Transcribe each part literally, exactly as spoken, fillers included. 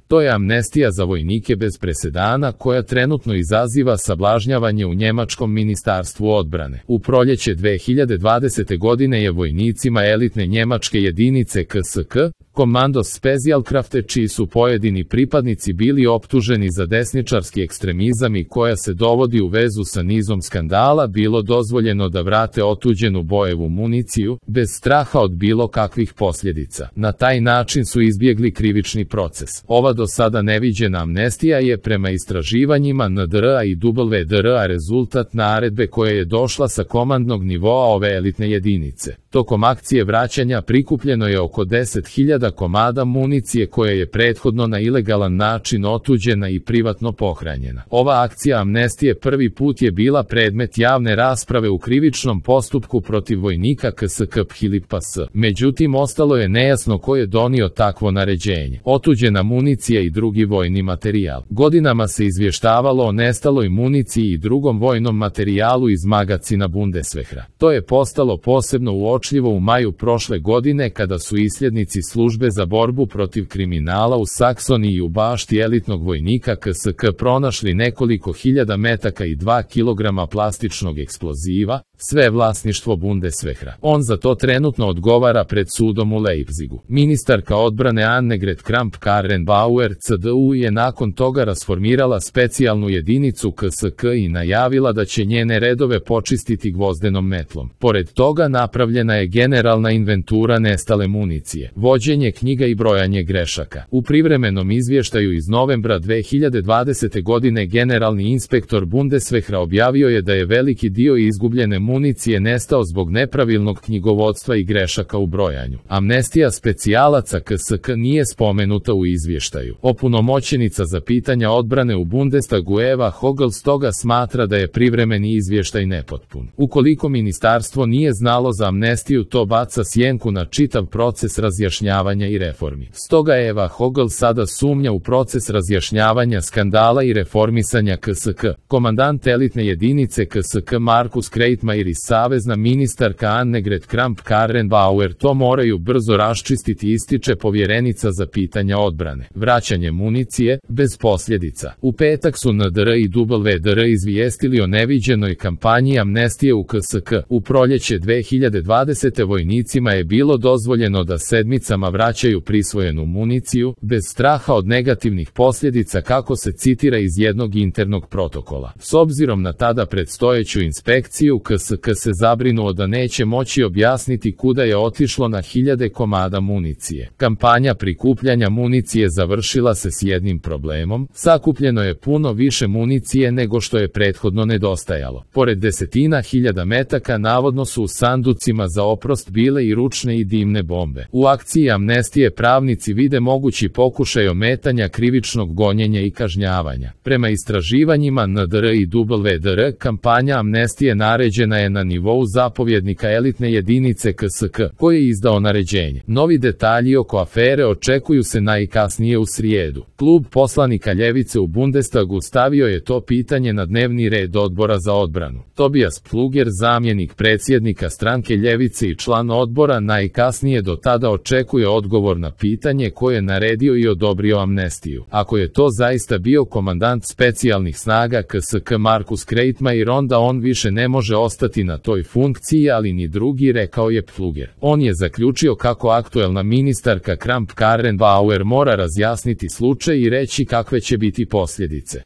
To je amnestija za vojnike bez presedana koja trenutno izaziva sablažnjavanje u njemačkom ministarstvu odbrane. U proljeće dve hiljade dvadesete. godine je vojnicima elitne njemačke jedinice K S K, Kommandos Spezialkräfte, čiji su pojedini pripadnici bili optuženi za desničarski ekstremizam i koja se dovodi u vezu sa nizom skandala, bilo dozvoljeno da vrate otuđenu bojevu municiju, bez straha od bilo kakvih posljedica. Na taj način su izbjegli krivični proces. Ova do sada neviđena amnestija je prema istraživanjima N D R A i W D R A rezultat naredbe koja je došla sa komandnog nivoa ove elitne jedinice. Tokom akcije vraćanja prikupljeno je oko deset hiljada komada municije koja je prethodno na ilegalan način otuđena i privatno pohranjena. Ova akcija amnestije prvi put je bila predmet javne rasprave u krivičnom postupku protiv vojnika K S K Philippa S. Međutim, ostalo je nejasno ko je donio takvo naređenje. Otuđena municija i drugi vojni materijal. Godinama se izvještavalo o nestaloj municiji i drugom vojnom materijalu iz magacina Bundeswehra. To je postalo posebno uočljivo u maju prošle godine kada su isljednici službe za borbu protiv kriminala u Saksoniji u bašti elitnog vojnika K S K pronašli nekoliko hiljada metaka i dva kilograma plastičnog eksploziva, sve vlasništvo Bundeswehra. On za to trenutno odgovara pred sudom u Leipzigu. Ministarka odbrane Annegret Kramp-Karrenbauer C D U je nakon toga rasformirala specijalnu jedinicu K S K i najavila da će njene redove počistiti gvozdenom metlom. Pored toga napravljena je generalna inventura nestale municije, vođenje knjiga i brojanje grešaka. U privremenom izvještaju iz novembra dve hiljade dvadesete. godine generalni inspektor Bundeswehra objavio je da je veliki dio izgubljene municije nestao zbog nepravilnog knjigovodstva i grešaka u brojanju. Amnestija specijalaca K S K nije spomenuta u izvještaju. Opunomoćenica za pitanja odbrane u Bundestagu Eva Hogel stoga smatra da je privremeni izvještaj nepotpun. Ukoliko ministarstvo nije znalo za amnestiju, to baca sjenku na čitav proces razjašnjavanja i reformi. Stoga Eva Hogel sada sumnja u proces razjašnjavanja skandala i reformisanja K S K. Komandant elitne jedinice K S K Markus Kreitmeier i savezna ministarka Annegret Kramp-Karrenbauer to moraju brzo raščistiti, ističe povjerenica za pitanja odbrane. Vraćanje municije, bez posljedica. U petak su N D R i W D R izvijestili o neviđenoj kampanji amnestije u K S K. U proljeće dve hiljade dvadesete. vojnicima je bilo dozvoljeno da sedmicama vraćaju prisvojenu municiju, bez straha od negativnih posljedica, kako se citira iz jednog internog protokola. S obzirom na tada predstojeću inspekciju, K S K se zabrinuo da neće moći objasniti kuda je otišlo na hiljade komada municije. Kampanja prikupljanja municije završila se s jednim problemom: sakupljeno je puno više municije nego što je prethodno nedostajalo. Pored desetina hiljada metaka navodno su u sanducima za oprost bile i ručne i dimne bombe. U akciji amnestije pravnici vide mogući pokušaj ometanja krivičnog gonjenja i kažnjavanja. Prema istraživanjima N D R i W D R, kampanja amnestije naređena je na nivou zapovjednika elitne jedinice K S K, koji je izdao naređenje. Novi detalji oko afere očekuju se najkasnije u srijedu. Klub poslanika ljevice u Bundestagu stavio je to pitanje na dnevni red odbora za odbranu. Tobias Pfluger, zamjenik predsjednika stranke ljevice i član odbora, najkasnije do tada očekuje odgovor na pitanje ko je naredio i odobrio amnestiju. Ako je to zaista bio komandant specijalnih snaga K S K Markus Kreitmeier, onda on više ne može ostati na toj funkciji, ali ni drugi, rekao je Pfluger. On je zaključio kako aktuelna ministarka Kramp-Karrenbauer mora razjasniti slučaj i reći kakve će biti posljedice.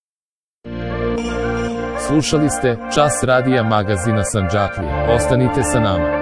Slušali ste Čas radija magazina Sandžaklija. Ostanite sa nama.